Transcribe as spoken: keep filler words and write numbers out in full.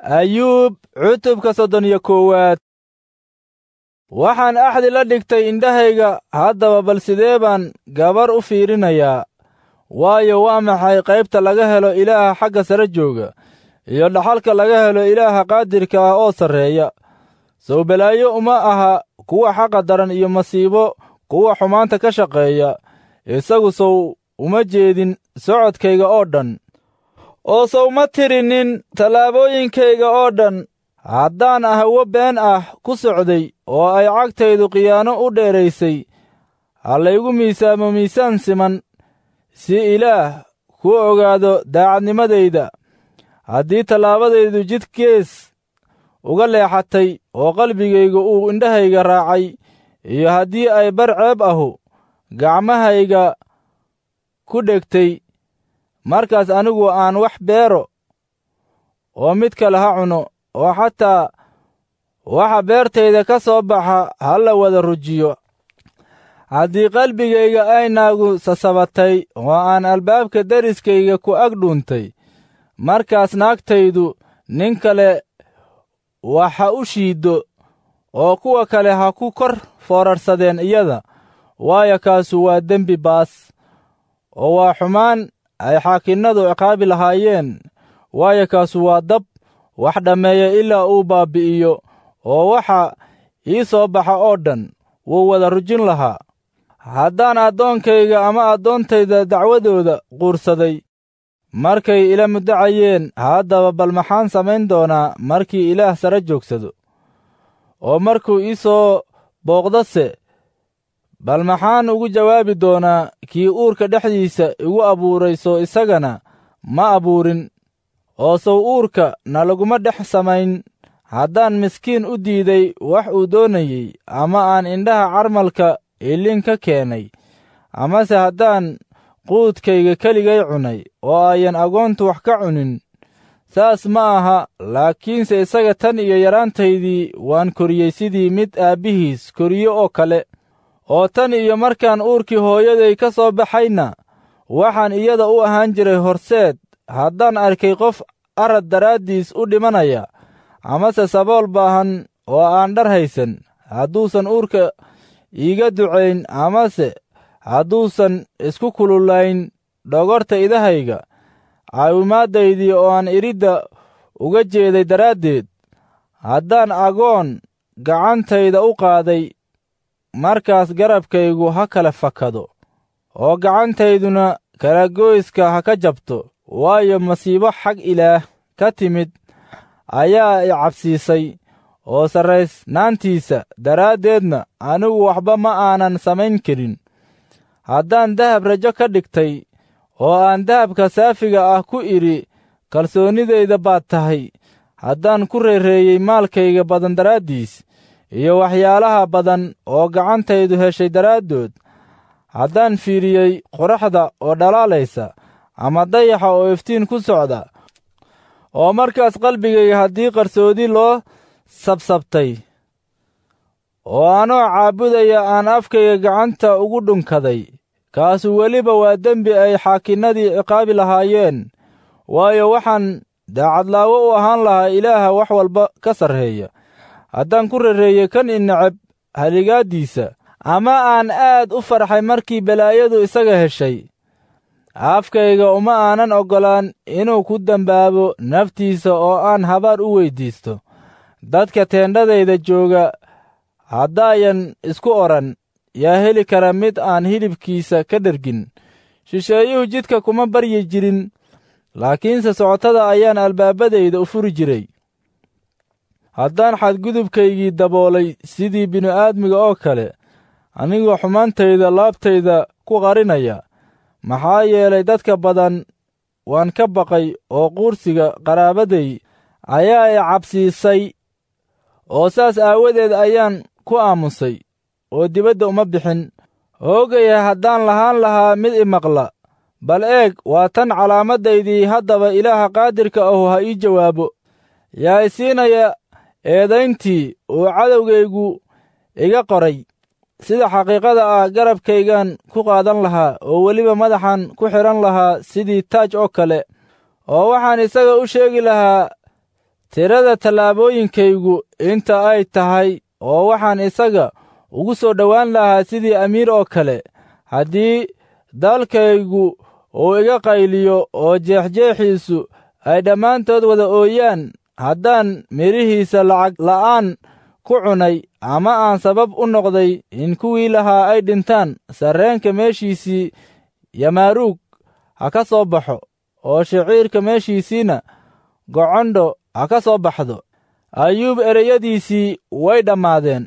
Ayuub cutubka soddon iyo koowaad. Waxaan axdi la dhigtay indhahayga, haddaba bal sidee baan gabar u fiirinayaa? Waayo, waa maxay qaybta laga helo Ilaaha xagga sare jooga, iyo dhaxalka laga helo Ilaaha qaadirka ah oo sarreeya? Sow balaayo uma aha kuwa xaqa daran iyo masiibo kuwa xumaanta ka shaqeeya. Isagu sow uma jeedin socodkayga oo dhan, oo sow ma tirinin tallaabooyinkayga oo dhan. Haddaan ahwo been ah ku socday oo ay cagtaydu khiyaano u dheeraysay, ha laygu miisaamo miisaan siman, si Ilaah kuu ogaado daacadnimadayda. Haddii tallaabadaydu jid gees uga leexatay oo qalbigaygu uu indhahayga raacay, iyo haddii ay bar ceeb ahu gacmahayga ku dhegtay, markaas anigu aan wax beero oo mid kale ha cuno, oo xataa waxa beertayda ka soo baxa ha la wada rujiyo. Haddii qalbigayga ay naagu sasabatay oo aan albaabka deriskayga ku ag dhuuntay, markaas naagtaydu nin kale wax ha u shiiddo, oo kuwa kale ha ku kor foorarsadeen iyada, waayo, kaasu waa dembi baas, oo waa xumaan ay xaakinnadu ciqaabi lahaayeen. Waayo, kaasu waa dab wax dhammeeya ilaa uu baabbi'iyo, oo waxa ii soo baxa oo dhan wuu wada rujin lahaa. Haddaan addoonkayga ama addoontayda dacwadooda quursaday markay ila muddacayeen, haddaba bal maxaan samayn doonaa markii Ilaah sare joogsado? Oo markuu ii soo booqdose, bal maxaan ugu jawaabi doonaa kii uurka dhexdiisa igu abuuray? Soo isagana ma abuurin, oo sow uurka na laguma dhex samayn? Haddaan miskiin u diiday wax uu doonayey, ama aan indhaha carmalka ilin ka keenay, amase haddaan quudkayga keligay cunay oo ayan agoontu wax ka cunin, saas ma aha. Laakiinse isaga tan iyo yaraantaydii waan koriyey sidii mid aabbihiis koriyo oo kale, oo tan iyo markaan uurkii hooyaday ka soo baxayna waxaan iyada u ahaan jiray horseed. Haddaan arkay qof arad daraaddiis u dhimanaya, amase sabool baahan oo aan dhar haysan, hadduusan uurka iiga ducayn, amase hadduusan isku kululayn dhogorta idahayga caawimaaddaydii oo aan iridda uga jeeday daraaddeed, haddaan agoon gacantayda u qaaday, markaas garabkaygu ha kala fakado, oo gacantayduna kalagoyska ha ka jabto. Waayo, masiibo xag Ilaah ka timid ayaa i cabsiisay, oo sarraysnaantiisa daraaddeedna anigu waxba ma aanan samayn karin. Haddaan dahab rajo ka dhigtay, oo aan dahabka saafiga ah ku idhi, "Kalsoonnidayda baad tahay," haddaan ku reereeyey maalkayga badan daraaddiis iyo waxyaalaha badan oo gacantaydu heshay daraaddood, haddaan fiiriyey qoraxda oo dhalaalaysa ama dayaxa oo iftiin ku socda, oo markaas qalbigayga haddii qarsoodi loo sabsabtay, oo anoo caabudaya aan afkayga gacanta ugu dhunkaday, kaasu weliba waa dembi ay xaakinnadii ciqaabi lahaayeen. Waayo, waxaan daacadlaawo u ahaan lahaa Ilaaha wax walba ka sarreeya, haddaan ku rereeyey kan i neceb haligaaddiisa, ama aan aad u farxay markii balaayadu isaga heshay. Afkayga uma aanan oggolaan inuu ku dembaabo naftiisa oo aan habaar u weyddiisto. Dadka teendhadayda jooga haddaayan isku odhan, "Yaa heli kara mid aan hilibkiisa ka dhergin?" Shisheeyuhu jidka kuma baryi jirin, laakiinse socotada ayaan albaabadayda u furi jiray. Haddaan xadgudubkaygii daboolay sidii bini'aadmiga oo kale, anigoo xumaantayda laabtayda ku qarinaya, maxaa yeelay, dadka badan waan ka baqay, oo quursiga qaraabaday ayaa i cabsiisay, oo saas aawadeed ayaan ku aamusay oo dibadda uma bixin. Hoogaya haddaan lahaan lahaa mid i maqla! Bal eeg, waa tan calaamadaydii. Haddaba Ilaaha qaadirka ahu ha ii jawaabo. Yaa i siinaya eedayntii uu cadowgaygu iga qoray? Sida xaqiiqada ah garabkaygaan ku qaadan lahaa, oo weliba madaxan ku xidhan lahaa sidii taaj oo kale, oo waxaan isaga u sheegi lahaa Tirada tallaabooyinkaygu inta ay tahay, oo waxaan isaga ugu soo dhowaan lahaa sidii amiir oo kale. Haddii dalkaygu uu iga qayliyo oo jeexjeexiisu ay dhammaantood wada ooyaan, haddaan midhihiisa lacag la'aan ku cunay ama aan sabab u noqday in kuwii lahaa ay dhintaan, sarreenka meeshiisii yamaaruug ha ka soo baxo, oo shiciirka meeshiisiina gocondho ha ka soo baxdo. Ayuub ereyadiisii way dhammaadeen.